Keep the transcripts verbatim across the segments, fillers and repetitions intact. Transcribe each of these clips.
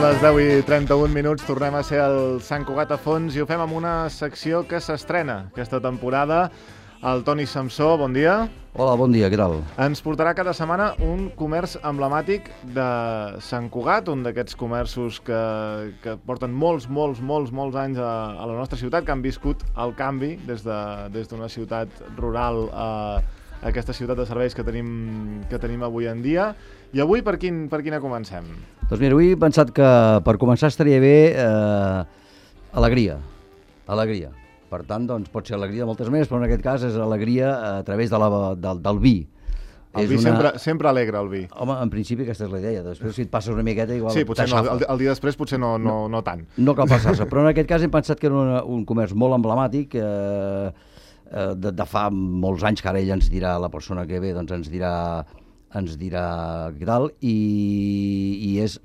les deu i trenta-un minuts, tornem a ser al Sant Cugat a fons i ho fem amb una secció que s'estrena aquesta temporada. El Toni Samsó, bon dia. Hola, bon dia, què tal? Ens portarà cada setmana un comerç emblemàtic de Sant Cugat, un d'aquests comerços que, que porten molts, molts, molts, molts anys a, a la nostra ciutat, que han viscut el canvi des de, des d'una ciutat rural a aquesta ciutat de serveis que tenim, que tenim avui en dia. I avui per, quin, per quina comencem? Doncs mira, avui he pensat que per començar estaria bé eh, alegria, alegria. Per tant, doncs, pot ser alegria de moltes maneres, però en aquest cas és alegria a través de la, del, del vi. El és vi una... sempre, sempre alegra, el vi. Home, en principi aquesta és la idea. Després, si et passes una miqueta, igual sí, potser no, el, el dia després potser no, no, no tant. No cal passar-se, però en aquest cas hem pensat que era una, un comerç molt emblemàtic, eh, eh, de, de fa molts anys, que ara ell ens dirà, la persona que ve, doncs ens dirà, ens dirà què tal, i, i és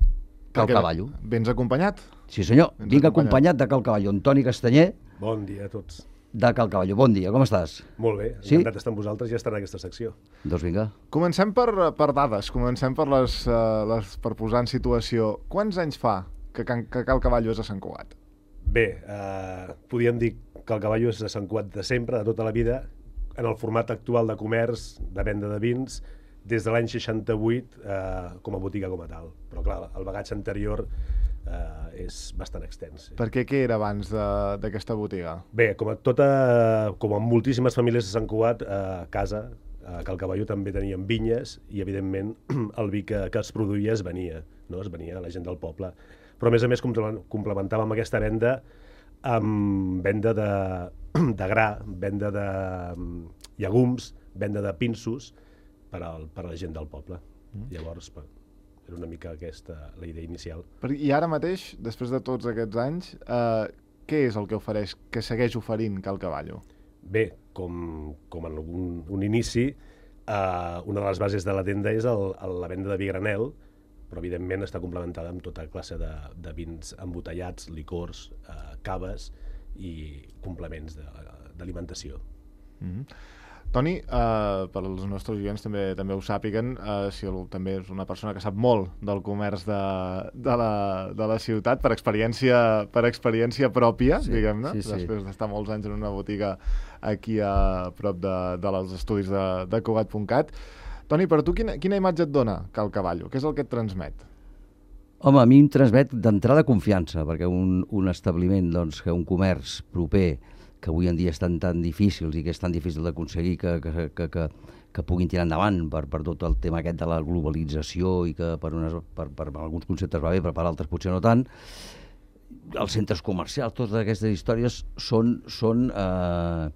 Cal Cavallo. Vens acompanyat? Sí, senyor. Vens Vinc acompanyat. acompanyat de Cal Cavallo. Antoni Castanyer. Bon dia a tots. De Cal Cavallo. Bon dia, com estàs? Molt bé, sí? encantat d'estar amb vosaltres i estar en aquesta secció. Doncs vinga. Comencem per, per dades, comencem per, les, uh, les, per posar en situació. Quants anys fa que, que Cal Cavallo és a Sant Cugat? Bé, eh, podríem dir que el Cavallo és de Sant Cugat de sempre, de tota la vida, en el format actual de comerç, de venda de vins, des de l'any seixanta-vuit eh, com a botiga com a tal. Però clar, el bagatge anterior eh, és bastant extens. Sí. Per què què era abans d'aquesta botiga? Bé, com a tota, com a moltíssimes famílies de Sant Cugat, eh, a casa, a Cal Cavallo també tenien vinyes i, evidentment, el vi que, que es produïa es venia, no? Es venia a la gent del poble. Però, a més a més, complementàvem aquesta venda amb venda de, de gra, venda de llegums, venda de pinsos, per, al, per a la gent del poble. Mm. Llavors, per, era una mica aquesta la idea inicial. I ara mateix, després de tots aquests anys, eh, què és el que ofereix, que segueix oferint Cal Cavallo? Bé, com, com en un, un inici, eh, una de les bases de la tenda és el, el, la venda de vi granel, però evidentment està complementada amb tota classe de, de vins embotellats, licors, eh, caves i complements d'alimentació. Mm-hmm. Toni, eh, per als nostres oients també també ho sàpiguen, eh, si el, també és una persona que sap molt del comerç de, de, la, de la ciutat per experiència, per experiència pròpia, sí, diguem-ne, sí, sí. Després d'estar molts anys en una botiga aquí a prop de, de dels estudis de, de Cugat punt cat. Toni, per tu quina, quina imatge et dona Cal Cavallo? Què és el que et transmet? Home, a mi em transmet d'entrada confiança, perquè un, un establiment, doncs, que un comerç proper, que avui en dia estan tan difícils i que és tan difícil d'aconseguir que, que, que, que, que puguin tirar endavant per, per tot el tema aquest de la globalització i que per, unes, per, per alguns conceptes va bé, però per altres potser no tant. Els centres comercials, totes aquestes històries són, són, eh,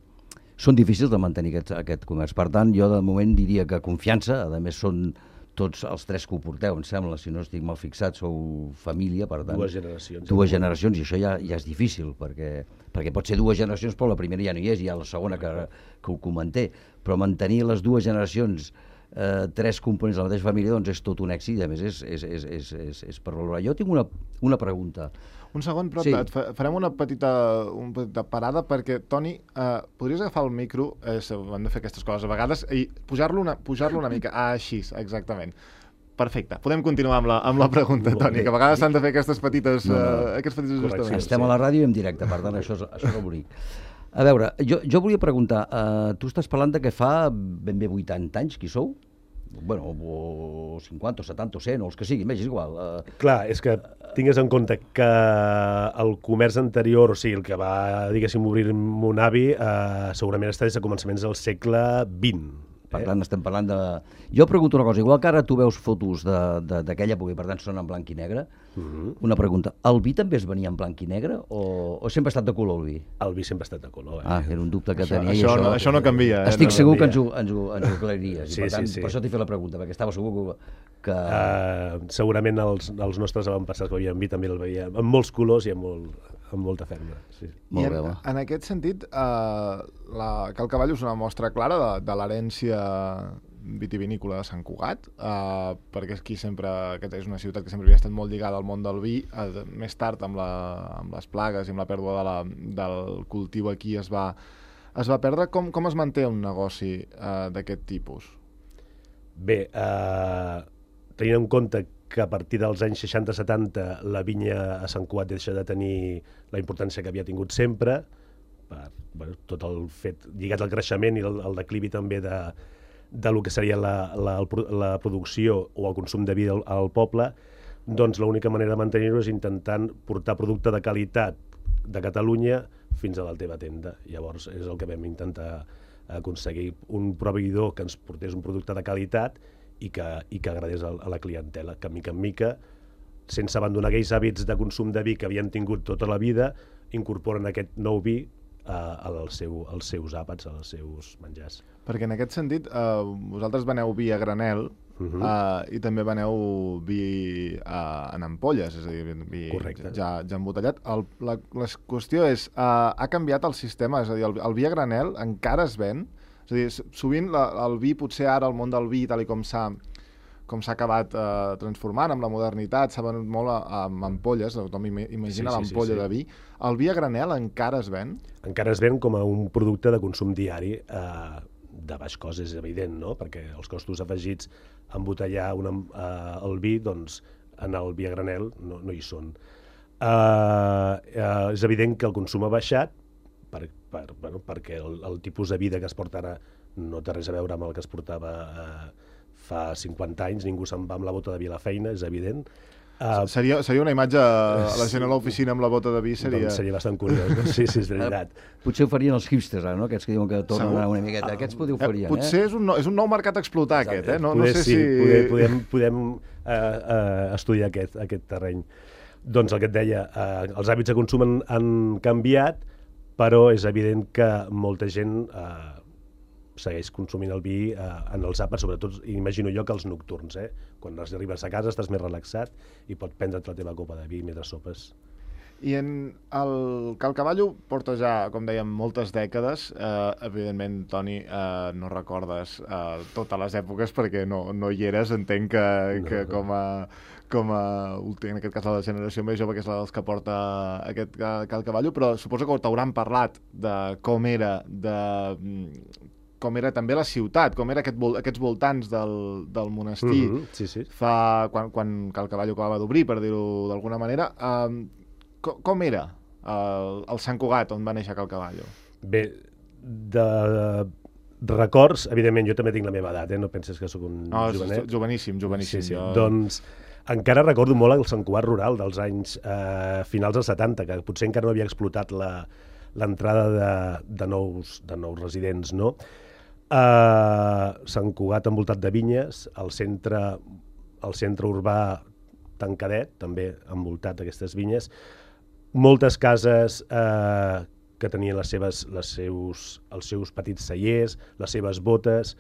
són difícils de mantenir aquest, aquest comerç. Per tant, jo de moment diria que confiança, a més són tots els tres que ho porteu, em sembla, si no estic mal fixat, sou família, per tant... Dues generacions. Dues generacions, i això ja, ja és difícil, perquè, perquè pot ser dues generacions, però la primera ja no hi és, hi ha la segona que, que ho comenté. Però mantenir les dues generacions, eh, tres components de la mateixa família, doncs és tot un èxit, i a més és, és, és, és, és, és per valorar. Jo tinc una, una pregunta. Un segon, però sí. et farem una petita, una petita parada perquè, Toni, eh, podries agafar el micro, eh, hem de fer aquestes coses a vegades, i pujar-lo una, pujar-lo una mica, ah, així, exactament. Perfecte, podem continuar amb la, amb la pregunta, Toni, que a vegades s'han de fer aquestes petites, no, no. Uh, aquests petits ajustaments. Estem a la ràdio i en directe, per tant, això és, això és el bonic. A veure, jo, jo volia preguntar, uh, tu estàs parlant de que fa ben bé vuitanta anys, qui sou? Bueno, o cinquanta, o setanta, o cent, o els que siguin, és igual. Uh... Clar, és que tingues en compte que el comerç anterior, o sigui, el que va, diguéssim, obrir mon avi, eh, segurament està des de començaments del segle vint. Per tant, estem parlant de... Jo pregunto una cosa, igual que ara tu veus fotos d'aquella època i per tant són en blanc i negre, uh-huh. Una pregunta, el vi també es venia en blanc i negre o, o sempre ha estat de color el vi? El vi sempre ha estat de color. Eh? Ah, era un dubte que això, tenia. Això, això, no, això no canvia. Eh? Estic no segur canvia. que ens ho, ens ho, ens ho aclariries. Sí, I per tant, sí, sí. Per això t'he fet la pregunta, perquè estava segur que... Uh, segurament els, els nostres avantpassats que veien vi també el veien amb molts colors i amb, molt, amb molta ferma. Sí. Molt I en, bé, en aquest sentit, uh, la Cal Cavallo és una mostra clara de, de l'herència vitivinícola de Sant Cugat, uh, perquè aquí sempre, aquesta és una ciutat que sempre havia estat molt lligada al món del vi, uh, més tard amb, la, amb les plagues i amb la pèrdua de la, del cultiu aquí es va, es va perdre. Com, com es manté un negoci uh, d'aquest tipus? Bé, eh, tenint en compte que a partir dels anys seixanta setanta la vinya a Sant Cugat deixa de tenir la importància que havia tingut sempre, per bueno, tot el fet lligat al creixement i el, el declivi també de, de lo que seria la, la, la producció o el consum de vi al, al poble, doncs l'única manera de mantenir-ho és intentant portar producte de qualitat de Catalunya fins a la teva tenda. Llavors és el que vam intentar aconseguir, un proveïdor que ens portés un producte de qualitat i que, i que agradés a, a la clientela, que mica en mica, sense abandonar aquells hàbits de consum de vi que havien tingut tota la vida, incorporen aquest nou vi a, als, seu, als seus àpats, als seus menjars. Perquè en aquest sentit, eh, vosaltres veneu vi a granel, Uh -huh. uh, i també veneu vi uh, en ampolles, és a dir, vi Correcte. ja, ja embotellat. El, la, la qüestió és, uh, ha canviat el sistema? És a dir, el, el vi a granel encara es ven? És a dir, sovint la, el vi, potser ara el món del vi, tal i com s'ha com s'ha acabat uh, transformant amb la modernitat, s'ha venut molt amb ampolles, tothom imagina sí, sí, l'ampolla sí, sí. de vi. El vi a granel encara es ven? Encara es ven com a un producte de consum diari, eh, de baix cost, és evident, no? Perquè els costos afegits a embotellar una, uh, el vi, doncs, en el vi a granel no, no hi són. Uh, uh, és evident que el consum ha baixat per, per, bueno, perquè el, el tipus de vida que es porta ara no té res a veure amb el que es portava uh, fa cinquanta anys, ningú se'n va amb la bota de vi a la feina, és evident. Uh, seria, seria una imatge, la gent a l'oficina amb la bota de vi seria... Doncs seria bastant curiós, no? Sí, sí, és veritat. Potser ho farien els hipsters, ara, no? Aquests que diuen que tornen Segur? a una miqueta. Aquests potser ho farien, eh? Potser és un, no, és un nou mercat a explotar, Exacte. aquest, eh? No, poder, no sé sí, si... Poder, podem podem uh, uh, estudiar aquest, aquest terreny. Doncs el que et deia, uh, els hàbits de consum han, han canviat, però és evident que molta gent... Uh, segueix consumint el vi eh, en els àpats, sobretot, imagino jo, que els nocturns, eh? Quan arribes a casa estàs més relaxat i pots prendre't la teva copa de vi mentre sopes. I en el Cal Cavallo porta ja, com dèiem, moltes dècades. Eh, evidentment, Toni, eh, no recordes eh, totes les èpoques perquè no, no hi eres. Entenc que, no, que no. com a... com a, en aquest cas, la generació més jove, que és la dels que porta aquest Cal Cavallo, però suposo que t'hauran parlat de com era, de com era també la ciutat, com era aquest vol, aquests voltants del, del monestir, mm-hmm, sí, sí. fa, quan, quan Cal Cavallo acabava d'obrir, per dir-ho d'alguna manera. Um, com, com era el, el Sant Cugat, on va néixer Cal Cavallo? Bé, de, de records, evidentment, jo també tinc la meva edat, eh? No penses que sóc un no, jovenet. Joveníssim, joveníssim. Sí, sí. Jo... Doncs encara recordo molt el Sant Cugat rural dels anys eh, finals dels setanta, que potser encara no havia explotat l'entrada de, de, nous, de nous residents, no? Uh, Sant Cugat envoltat de vinyes, el centre, el centre urbà tancadet, també envoltat d'aquestes vinyes, moltes cases uh, que tenien les seves, les seus, els seus petits cellers, les seves botes,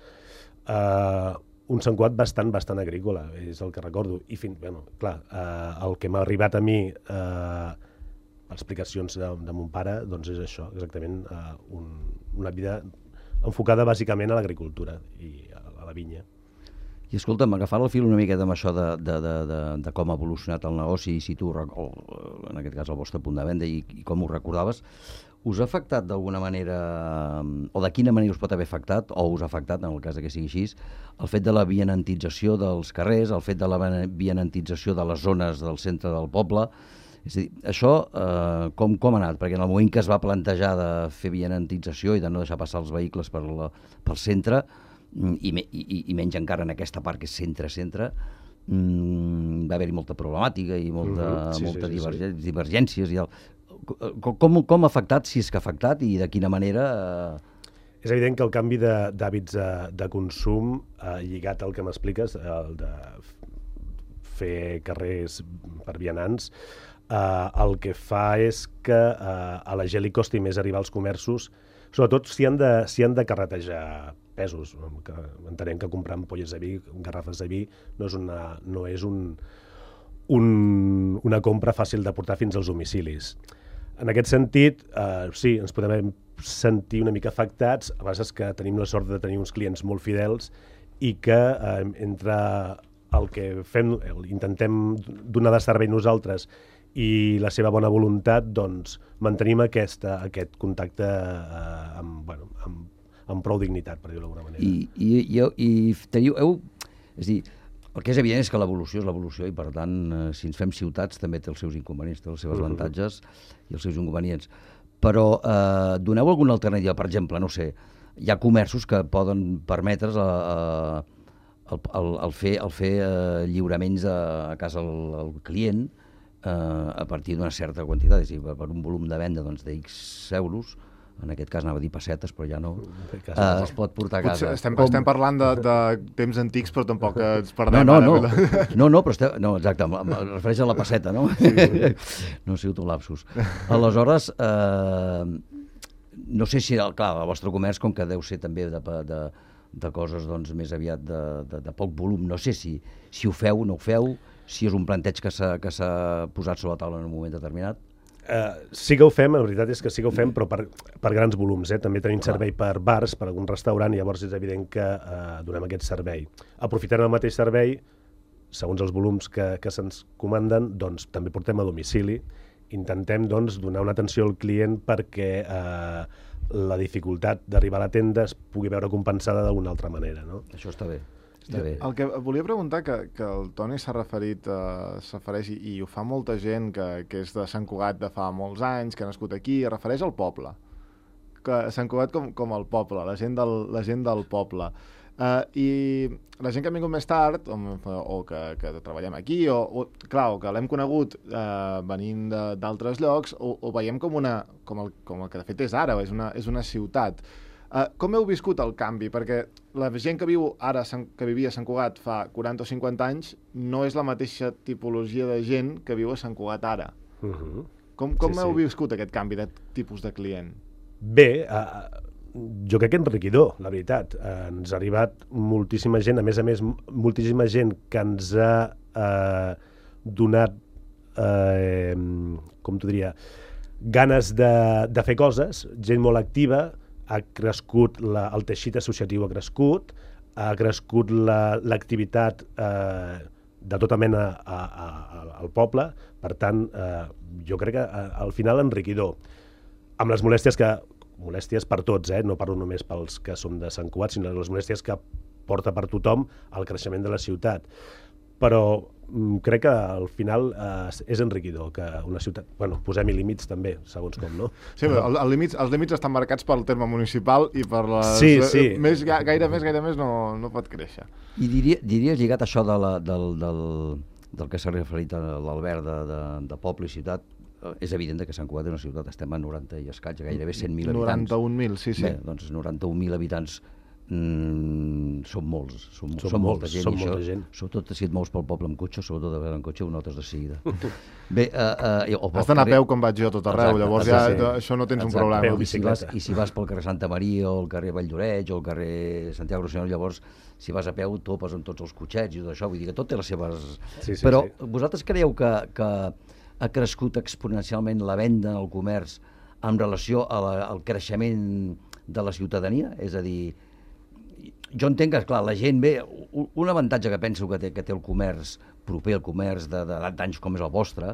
uh, un Sant Cugat bastant, bastant agrícola, és el que recordo. I fins, bueno, clar, uh, el que m'ha arribat a mi, uh, explicacions de, de mon pare, doncs és això, exactament, uh, un, una vida enfocada bàsicament a l'agricultura i a, a la vinya. I escolta'm, agafant el fil una miqueta amb això de, de, de, de, de com ha evolucionat el negoci i si tu, o, en aquest cas el vostre punt de venda i, i com ho recordaves, us ha afectat d'alguna manera, o de quina manera us pot haver afectat, o us ha afectat, en el cas que sigui així, el fet de la vianantització dels carrers, el fet de la vianantització de les zones del centre del poble? És a dir, això eh, com, com ha anat? Perquè en el moment que es va plantejar de fer vianantització i de no deixar passar els vehicles per la, pel centre, i, i, i menys encara en aquesta part que és centre-centre, mmm, va haver-hi molta problemàtica i molta, mm-hmm. sí, molta sí, sí, divergè sí. divergències. I el, com, com ha afectat, si és que ha afectat, i de quina manera... Eh... És evident que el canvi d'hàbits de, de, de consum, eh, lligat al que m'expliques, el de fer carrers per vianants, Uh, el que fa és que uh, a la gent li costi més arribar als comerços, sobretot si han de, si han de carretejar pesos. Que entenem que comprar ampolles de vi, garrafes de vi, no és, una, no és un, un, una compra fàcil de portar fins als domicilis. En aquest sentit, uh, sí, ens podem sentir una mica afectats, a vegades que tenim la sort de tenir uns clients molt fidels i que uh, entre el que fem, intentem donar de servei nosaltres i la seva bona voluntat, doncs, mantenim aquesta, aquest contacte eh, amb, bueno, amb, amb prou dignitat, per dir-ho d'alguna manera. I, i, i, i teniu, heu, és dir, El que és evident és que l'evolució és l'evolució i, per tant, eh, si ens fem ciutats també té els seus inconvenients, té els seus avantatges i els seus inconvenients. Però eh, doneu alguna alternativa? Per exemple, no sé, hi ha comerços que poden permetre's a, a, el, el, el fer, el fer eh, lliuraments a, a casa al, al client eh, a partir d'una certa quantitat, és a dir, per un volum de venda doncs, de X euros, en aquest cas anava a dir pessetes, però ja no, uh, es pot portar a casa. Potser estem, Com... estem parlant de, de temps antics, però tampoc ens perdem. No, no, no, no, no, però estem, no, exacte, em refereix a la pesseta, no? Sí, sí. No ha sigut un lapsus. Aleshores, eh, no sé si, clar, el vostre comerç, com que deu ser també de, de, de coses doncs, més aviat de, de, de poc volum, no sé si, si ho feu o no ho feu, si és un planteig que s'ha posat sobre la taula en un moment determinat. Uh, sí que ho fem, la veritat és que sí que ho fem, però per, per grans volums. Eh? També tenim servei per bars, per algun restaurant, i llavors és evident que uh, donem aquest servei. Aprofitant el mateix servei, segons els volums que, que se'ns comanden, doncs també portem a domicili. Intentem doncs, donar una atenció al client perquè uh, la dificultat d'arribar a la tenda es pugui veure compensada d'alguna altra manera. No? Això està bé. Està bé. El que volia preguntar, que, que el Toni s'ha referit, uh, s'afereix, i, i ho fa molta gent que, que és de Sant Cugat de fa molts anys, que ha nascut aquí, es refereix al poble. Que Sant Cugat com, com el poble, la gent del, la gent del poble. Uh, I la gent que ha vingut més tard, o, o que, que treballem aquí, o, o clar, o que l'hem conegut uh, venint d'altres llocs, o, o veiem com, una, com, el, com el que de fet és ara, és una, és una ciutat. Uh, com heu viscut el canvi? Perquè la gent que viu ara, que vivia a Sant Cugat fa quaranta o cinquanta anys, no és la mateixa tipologia de gent que viu a Sant Cugat ara. Uh -huh. Com, com sí, heu sí. viscut aquest canvi de tipus de client? Bé, uh, jo crec que enriquidor, la veritat. Uh, ens ha arribat moltíssima gent, a més a més, moltíssima gent que ens ha uh, donat, uh, com t'ho diria, ganes de, de fer coses, gent molt activa. Ha crescut, la, el teixit associatiu ha crescut, ha crescut l'activitat la, eh, de tota mena a, a, a, al poble, per tant, eh, jo crec que a, al final enriquidor. Amb les molèsties que, molèsties per tots, eh, no parlo només pels que som de Sant Cugat, sinó les molèsties que porta per tothom el creixement de la ciutat. Però crec que al final eh, és enriquidor que una ciutat... Bueno, posem-hi límits també, segons com, no? Sí, però el, el límits, els límits estan marcats pel terme municipal i per les... Sí, sí. Més, gaire més, gaire més no, no pot créixer. I diria, diries, lligat a això de la, del, del, del que s'ha referit a l'Albert de, de, de poble i ciutat, és evident que Sant Cugat és una ciutat, estem a noranta i escaig, gairebé cent mil habitants. noranta-un mil, sí, sí. Bé, doncs noranta-un mil habitants mm, són molts, són, som són molts, molta gent. Som i molta això, gent. Sobretot si et mous pel poble amb cotxe, sobretot de vegades en cotxe, ho notes de seguida. Bé, uh, uh, Has d'anar a peu com vaig jo tot arreu, exacte, llavors ja sí. això no tens exacte, un problema. Peu, I si, vas, I si vas pel carrer Santa Maria o el carrer Valldoreix o el carrer Santiago Rossinyol, llavors si vas a peu topes amb tots els cotxets i tot això, vull dir que tot té les seves... Sí, sí, Però sí. vosaltres creieu que, que ha crescut exponencialment la venda en el comerç en relació a la, al creixement de la ciutadania? És a dir, jo entenc que, clar, la gent ve... Un avantatge que penso que té, que té el comerç proper, el comerç d'anys com és el vostre,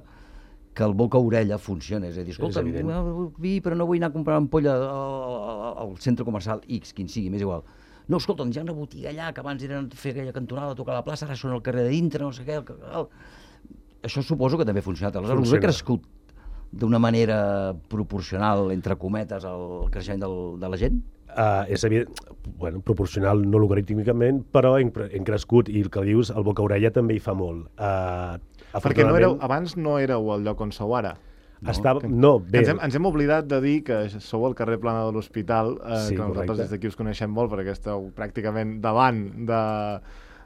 que el boca-orella funciona. És a dir, escolta, vull vi, però no vull anar a comprar ampolla al, al centre comercial X, quin sigui, m'és igual. No, escolta, hi ha una botiga allà que abans eren fer aquella cantonada, tocar la plaça, ara són al carrer de dintre, no sé què... El, el... Això suposo que també ha funcionat. Aleshores, us ha crescut d'una manera proporcional, entre cometes, al creixement del, de la gent? Uh, és evident, bueno, proporcional no logarítmicament, però hem, hem crescut, i el que dius, el boca-orella també hi fa molt. Uh, Perquè no éreu, abans no éreu al lloc on sou ara. No, Estava, no bé. Ens hem, ens hem oblidat de dir que sou al carrer Plana de l'Hospital, eh, sí, que nosaltres des d'aquí us coneixem molt, perquè esteu pràcticament davant de...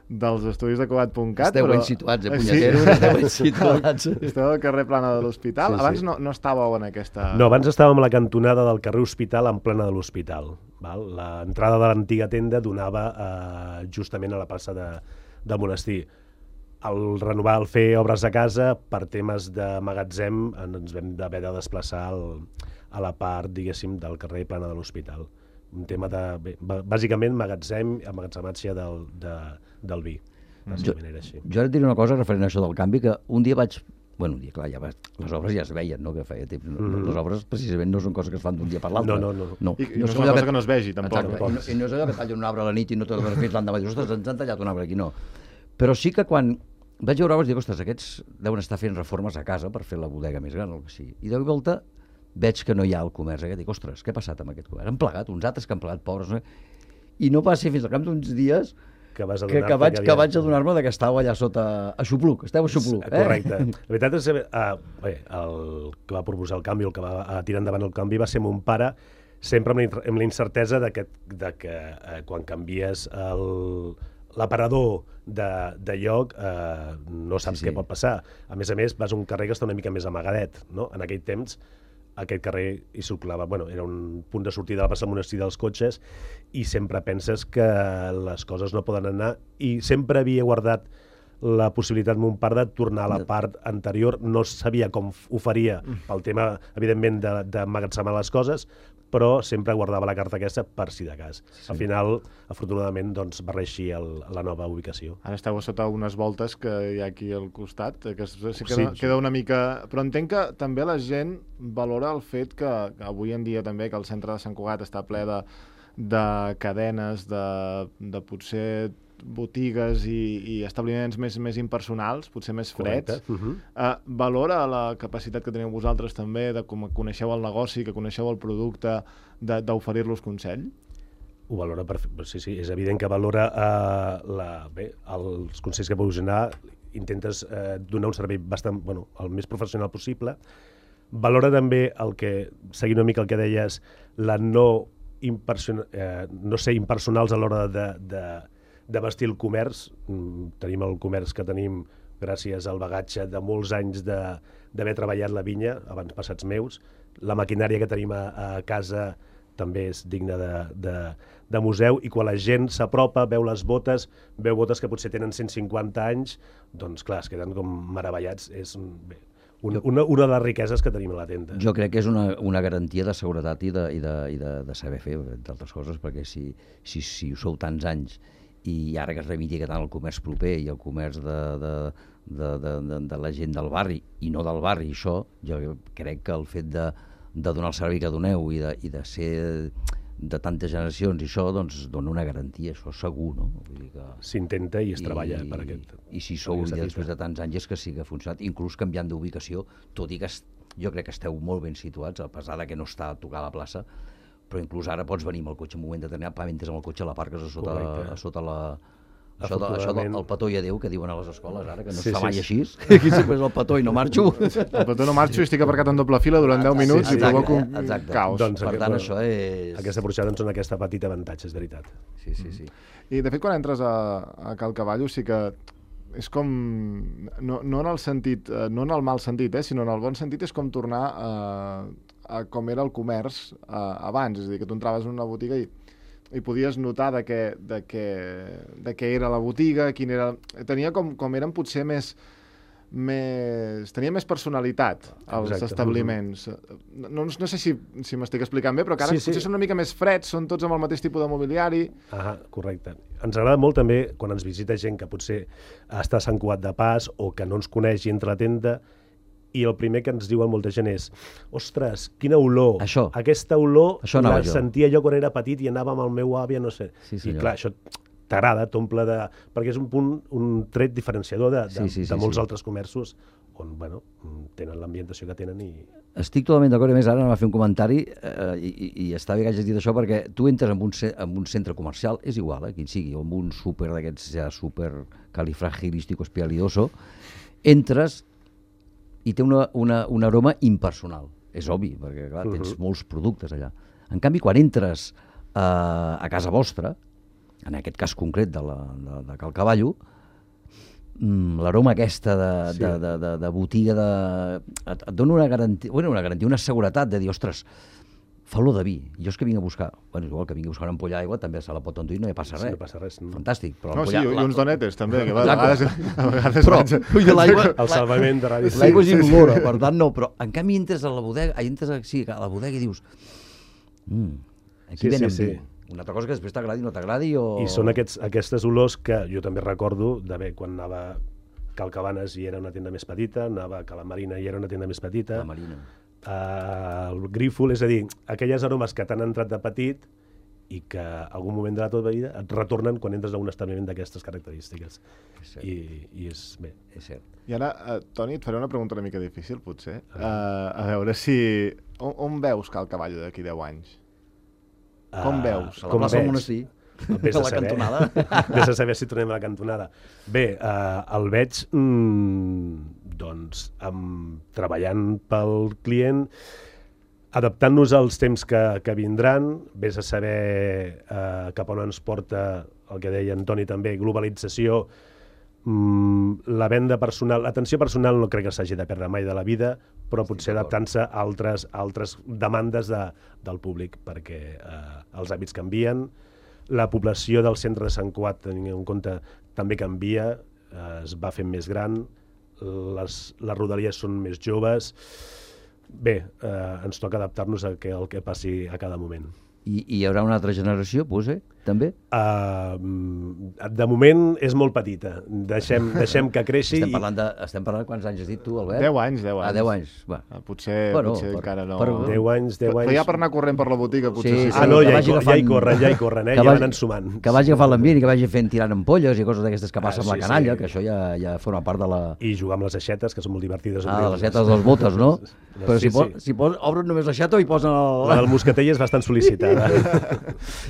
dels estudis de Cugat punt cat. Esteu però... ben situats, eh, punyeteros, sí. Esteu ben situats. Esteu al carrer Plana de l'Hospital. Sí, abans sí. no, no estàveu en aquesta... No, abans estàvem a la cantonada del carrer Hospital en plena de l'Hospital. L'entrada de l'antiga tenda donava eh, justament a la plaça de, del monestir. Al renovar, al fer obres a casa, per temes de magatzem, ens vam haver de desplaçar al, a la part, diguéssim, del carrer Plana de l'Hospital. Un tema de, bé, bàsicament, magatzem, emmagatzematge del, de, del vi. Jo, jo ara et diré una cosa referent a això del canvi, que un dia vaig... Bueno, un dia, clar, ja va, les obres ja es veien, no?, que feia temps. Mm -hmm. Les obres, precisament, no són coses que es fan d'un dia per l'altre. No, no, no. no. I, i no, no és una cosa que... que no es vegi, tampoc. Exacte, i, no, i no és allò que tallen un arbre a la nit i no te l'has fet l'endemà. Dius, ostres, ens han tallat un arbre aquí, no. Però sí que quan vaig veure, vaig dir, ostres, aquests deuen estar fent reformes a casa per fer la bodega més gran o el que sigui. I de volta veig que no hi ha el comerç aquest. Dic, ostres, què ha passat amb aquest comerç? Han plegat, uns altres que han plegat, pobres. No? I no va ser fins al cap d'uns dies que, vas que, que, vaig, que, que vaig adonar-me que estàveu allà sota a Xupluc. Esteu a Xupluc, eh? Correcte. La veritat és que uh, bé, el que va proposar el canvi, el que va uh, tirar endavant el canvi, va ser mon pare, sempre amb la incertesa de que, de que uh, quan canvies l'aparador de, de lloc eh, no saps sí, sí. què pot passar. A més a més, vas a un carrer que està una mica més amagadet, no? En aquell temps aquest carrer hi circulava, bueno, era un punt de sortida de la plaça del Monestir dels cotxes i sempre penses que les coses no poden anar i sempre havia guardat la possibilitat mon pare de tornar a la part anterior, no sabia com ho faria pel tema, evidentment, d'emmagatzemar les coses, però sempre guardava la carta aquesta per si de cas. Sí. Al final, afortunadament, doncs, va reeixir el, la nova ubicació. Ara esteu sota unes voltes que hi ha aquí al costat, que sí que queda, sí. queda una mica... Però entenc que també la gent valora el fet que, que avui en dia també que el centre de Sant Cugat està ple de, de cadenes, de, de potser botigues i, i establiments més, més impersonals, potser més freds. Uh -huh. uh, valora la capacitat que teniu vosaltres també de com coneixeu el negoci, que coneixeu el producte, d'oferir-los consell? Ho valora, per, sí, sí, és evident que valora uh, la, bé, els consells que puguis donar, intentes uh, donar un servei bastant, bueno, el més professional possible. Valora també el que, seguint una mica el que deies, la no, eh, no ser impersonals a l'hora de, de de vestir el comerç. Tenim el comerç que tenim gràcies al bagatge de molts anys d'haver treballat la vinya, abans passats meus. La maquinària que tenim a, a casa també és digna de, de, de museu, i quan la gent s'apropa, veu les botes, veu botes que potser tenen cent cinquanta anys, doncs clar, es queden com meravellats. És bé, una, una, una de les riqueses que tenim a la tenda. Jo crec que és una, una garantia de seguretat i de, i de, i de, de saber fer, entre altres coses, perquè si, si, si ho sou tants anys i ara que es reivindica tant el comerç proper i el comerç de, de, de, de, de, de la gent del barri, i no del barri, això, jo crec que el fet de, de donar el servei que doneu i de, i de ser de tantes generacions, i això doncs dona una garantia, això segur, no? Vull dir que... S'intenta i es I, treballa per aquest... I si sou un dia després de tants anys és que sí que ha funcionat, inclús canviant d'ubicació, tot i que jo crec que esteu molt ben situats, a pesar de que no està a tocar la plaça, però inclús ara pots venir amb el cotxe en un moment determinat, pa, mentre amb el cotxe la parques a sota, a sota la... Això, de, això del petó i adéu que diuen a les escoles ara, que no sí, es fa mai sí, així. Sí. Aquí sempre és el petó i no marxo. El petó no marxo i estic aparcat en doble fila durant deu minuts sí, sí, i provoco un exacte. caos. Doncs, per tant, això és... Aquesta porxada ens dona aquesta petita avantatge, és veritat. Sí, sí, sí. I de fet, quan entres a, a Cal Cavallo sí que és com, no, no en el sentit, no en el mal sentit, eh, sinó en el bon sentit, és com tornar a, a com era el comerç a, abans, és a dir, que tu entraves en una botiga i i podies notar de què, de què, de què era la botiga, quin era... Tenia com, com eren potser més... més tenia més personalitat els Exacte. establiments. No, no sé si, si m'estic explicant bé, però que ara sí, potser sí. són una mica més freds, són tots amb el mateix tipus de mobiliari. Ah, correcte. Ens agrada molt també quan ens visita gent que potser està a Sant Cugat de pas o que no ens coneix i entra a la tenda, i el primer que ens diuen molta gent és ostres, quina olor, això. aquesta olor això la jo. sentia jo quan era petit i anava amb el meu àvia, no sé. Sí, I clar, això t'agrada, t'omple de... perquè és un punt, un tret diferenciador de, de, sí, sí, sí, de molts sí. altres comerços on, bueno, tenen l'ambientació que tenen i... Estic totalment d'acord, a més ara m'ha fet un comentari eh, i, i, i està bé que hagis dit això perquè tu entres en un, en un centre comercial, és igual, eh, quin sigui, o en un súper d'aquests ja súper califragilístico espialidoso, entres i té una, una, un aroma impersonal. És obvi, perquè clar, tens uh-huh. molts productes allà. En canvi, quan entres eh, a casa vostra, en aquest cas concret de, la, de, de Cal Cavallo, mmm, l'aroma aquesta de, sí. de, de, de, de botiga de, et, et dona una garantia, bueno, una garantia, una seguretat de dir, ostres, fa olor de vi. Jo és que vinc a buscar, bueno, igual que vinc a buscar una ampolla d'aigua, també se la pot enduir, no hi passa res. Sí, no passa res. No. Fantàstic. Però no, sí, i la... uns donetes, també, que va, a vegades... A vegades però, vaig... l'aigua... El salvament de ràdio. L'aigua és incolora, per tant, no, però en canvi entres a la bodega, entres a, sí, a la bodega i dius mm, aquí sí, venen sí, vi. sí. Una altra cosa que després t'agradi o no t'agradi o... I són aquests, aquestes olors que jo també recordo d'haver, quan anava a Cal Cabanes i era una tenda més petita, anava a Cala Marina i era una tenda més petita. La Marina. Uh, el Grífol, és a dir, aquelles aromes que t'han entrat de petit i que en algun moment de la teva vida et retornen quan entres a un establiment d'aquestes característiques. I, I és bé. És cert. I ara, uh, Toni, et faré una pregunta una mica difícil, potser. Uh, a veure si... On, on veus Cal Cavallo d'aquí deu anys? Com Uh, veus? A la com plaça del veig? monestir. Vés A a la saber. cantonada. Vés a saber si tornem a la cantonada. Bé, uh, el veig mm, doncs, amb, treballant pel client, adaptant-nos als temps que, que vindran, vés a saber uh, cap on ens porta el que deia Antoni també, globalització, mm, la venda personal, l'atenció personal no crec que s'hagi de perdre mai de la vida, però potser adaptant-se a altres, altres demandes de, del públic, perquè uh, els hàbits canvien, la població del centre de Sant Cugat, tenint en compte, també canvia, eh, es va fent més gran, les, les rodalies són més joves. Bé, eh, ens toca adaptar-nos a que, al que passi a cada moment. I, I hi haurà una altra generació, potser, també? Uh, de moment és molt petita. Deixem, deixem que creixi. Estem parlant, de, estem parlant de quants anys has dit tu, Albert? Deu anys, deu anys. Ah, deu anys. Va. Ah, potser, Bueno, potser per- encara no... per- Deu anys, deu anys... Però ja per anar corrent per la botiga, potser Sí, sí. sí. Ah, no, que ja, vagi hi, agafant- ja hi corren, ja hi corren, eh? que Ja vagi- van ensumant. Que vagi agafant l'ambient i que vagi fent tirant ampolles i coses d'aquestes que passen Ah, amb la sí, canalla, sí. que això ja, ja forma part de la... I jugar amb les aixetes, que són molt divertides. Ah, les lletres dels botes, no? Però Sí, si, po sí. si pos, obren només l'aixeta i posen el... La del moscatell és bastant sol·licitada.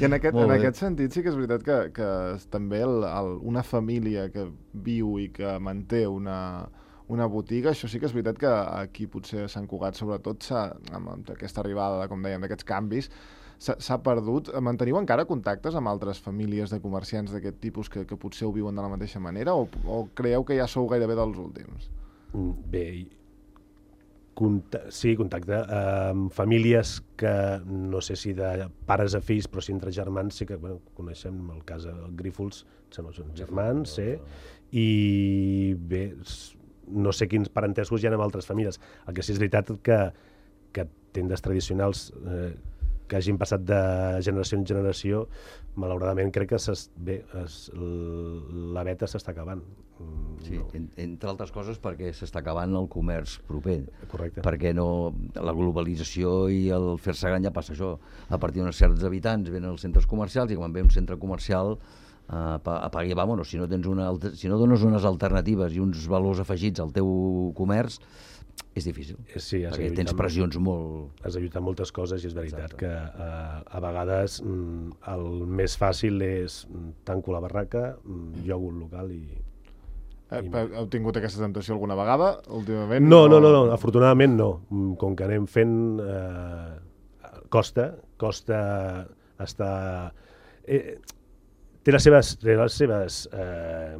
I en aquest, Molt en bé. aquest sentit sí que és veritat que, que també el, el, una família que viu i que manté una, una botiga, això sí que és veritat que aquí potser a Sant Cugat sobretot s'ha, amb, amb aquesta arribada, com dèiem, d'aquests canvis, s'ha s'ha perdut. Manteniu encara contactes amb altres famílies de comerciants d'aquest tipus que, que potser ho viuen de la mateixa manera o, o creieu que ja sou gairebé dels últims? Bé, conta sí, contacte amb famílies que no sé si de pares a fills, però sí entre germans, sí que bueno, coneixem el cas de Grífols, sembla que són germans, sí, i bé, s- no sé quins parentescos hi ha amb altres famílies. El que sí és veritat que, que tendes tradicionals eh, que hagin passat de generació en generació, malauradament crec que s'es, bé, es, l- la veta s'està acabant. Mm, Sí, no. en, entre altres coses perquè s'està acabant el comerç proper. Correcte. Perquè no, la globalització i el fer-se gran ja passa això. A partir d'uns certs habitants venen als centres comercials i quan ve un centre comercial eh, apagui i vámonos. Si no, tens una, alter- si no dones unes alternatives i uns valors afegits al teu comerç, és difícil. Eh, Sí, has perquè de tens lluitar amb- pressions molt... has de lluitar moltes coses i és veritat Exacte. que eh, a vegades mm, el més fàcil és mm, tanco la barraca, mm, llogo un local i... Eh, I- heu tingut aquesta tentació alguna vegada, últimament? No, no, no, no, afortunadament no. Mm, Com que anem fent... Eh, costa, costa estar... Eh, té les seves, té les seves eh,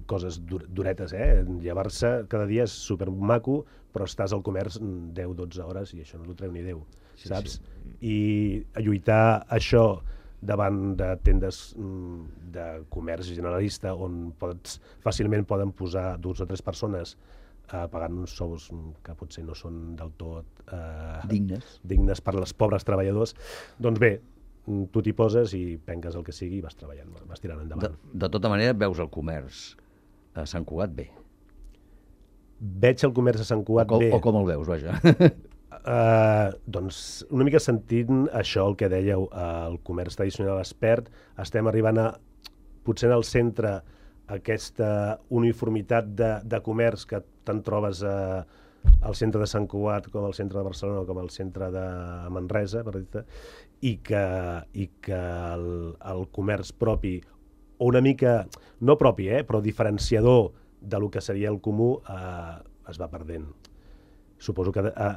coses dur, duretes, eh? Llevar-se cada dia és supermaco, però estàs al comerç deu dotze hores i això no t'ho treu ni Déu, Sí, saps? I a lluitar això davant de tendes mm, de comerç generalista on pots, fàcilment poden posar dues o tres persones eh, pagant uns sous mm, que potser no són del tot eh, dignes. dignes per als pobres treballadors, doncs bé, mm, tu t'hi poses i penques el que sigui i vas treballant, vas tirant De, endavant. de tota manera, veus el comerç a Sant Cugat bé. Veig el comerç a Sant O Cugat com, bé. o com el veus, vaja. Uh, doncs una mica sentint això, el que dèieu, uh, el comerç tradicional es perd, estem arribant a, potser en el centre, aquesta uniformitat de, de comerç que te'n trobes uh, al centre de Sant Cugat, com al centre de Barcelona, com al centre de Manresa, per dir-te, i que, i que el, el comerç propi, o una mica, no propi, eh, però diferenciador de lo que seria el comú, uh, es va perdent. Suposo que uh,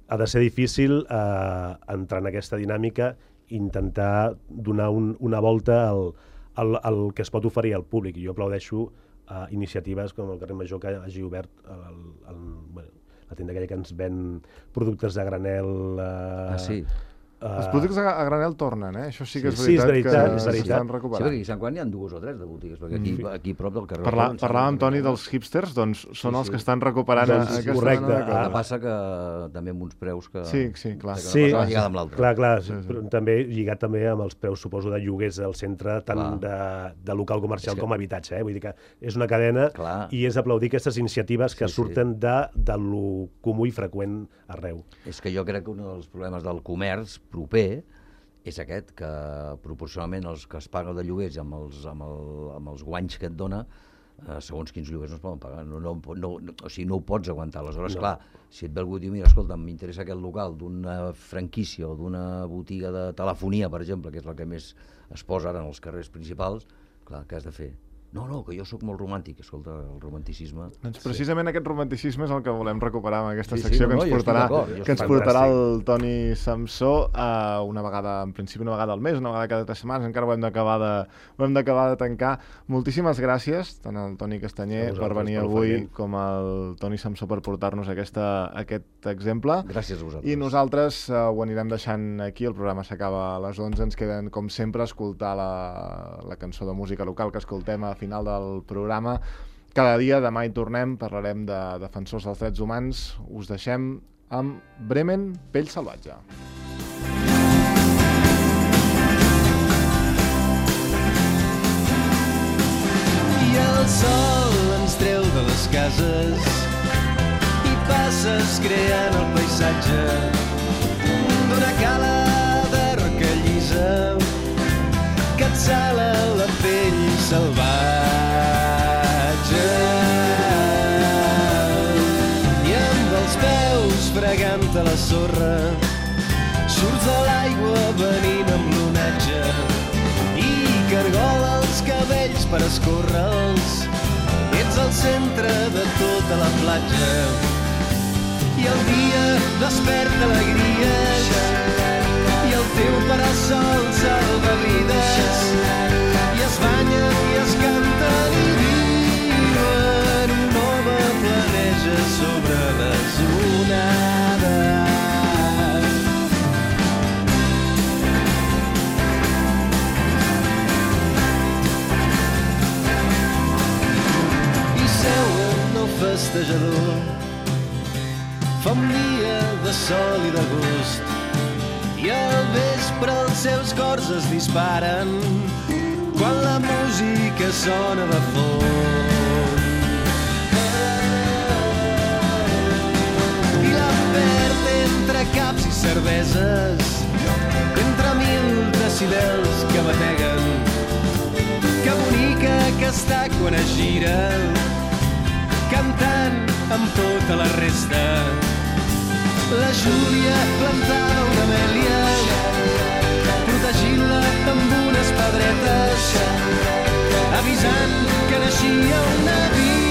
ha de ser difícil eh, entrar en aquesta dinàmica i intentar donar un, una volta al, al, al que es pot oferir al públic. I jo aplaudeixo eh, iniciatives com el carrer Major que hagi obert el, el, bueno, la tenda aquella que ens ven productes de granel. Eh, Ah, sí. Els productes a, a granel tornen, eh? Això sí que és Sí, sí, és veritat, veritat, que és veritat. s'estan Sí, recuperant. perquè aquí a Sant Quan hi ha dues o tres de botigues, perquè aquí, Mm. aquí a prop del carrer... Parla, Barcelona, parlàvem, em Toni, sembla dels hipsters, doncs són Sí, els sí. que estan recuperant Doncs, aquesta correcte. mena de El que Ah. passa que també amb uns preus que... Sí, sí, clar. que Sí, una cosa va lligada amb l'altra. clar, clar, Sí, sí. però també lligat també amb els preus, suposo, de lloguers al centre, tant de, de local comercial És que- com habitatge. Eh? Vull dir que és una cadena Clar. i és aplaudir aquestes iniciatives que Sí, sí. surten de, de lo comú i freqüent arreu. És que jo crec que un dels problemes del comerç proper és aquest, que proporcionalment els que es paguen de lloguers amb els, amb el, amb els guanys que et dona, eh, segons quins lloguers no es poden pagar, no, no, no, no, o sigui, no ho pots aguantar. Aleshores, no. Clar, si et ve algú i diu, mira, escolta, m'interessa aquest local d'una franquícia o d'una botiga de telefonia, per exemple, que és la que més es posa ara en els carrers principals, clar, què has de fer? No, no, que jo sóc molt romàntic. Escolta, el romanticisme... Doncs precisament sí. Aquest romanticisme és el que volem recuperar amb aquesta sí, secció sí, no, que ens no, portarà, que ens portarà el Toni Samsó uh, una vegada, en principi una vegada al mes, una vegada cada tres setmanes, encara ho hem d'acabar de, ho hem d'acabar de tancar. Moltíssimes gràcies, tant al Toni Castanyer per venir avui com al Toni Samsó per portar-nos aquesta, aquest exemple. Gràcies a vosaltres. I nosaltres uh, ho anirem deixant aquí, el programa s'acaba a les onze, ens queden, com sempre, escoltar la, la cançó de música local que escoltem a final del programa. Cada dia, demà hi tornem, parlarem de defensors dels drets humans. Us deixem amb Bremen, Pell salvatge. I el sol ens treu de les cases i passes creant el paisatge d'una cala de roca llisa que et sala la pell salvatge. I amb els peus fregant a la sorra surts de l'aigua venint amb l'onatge i cargola els cabells per escórrer-los. Ets el centre de tota la platja i el dia desperta alegries i el teu parasol salva vides i es banyen i es canten i viuen un nova planeja sobre les onades. I seuen el festejador, fa un dia de sol i d'agost i al vespre els seus cors es disparen quan la música sona de fons. I la perd entre caps i cerveses, entre mil decibels que bateguen, que bonica que està quan es gira, cantant amb tota la resta. La Júlia plantava una amèlia, protegint-la amb unes pedretes, avisant que naixia una vida.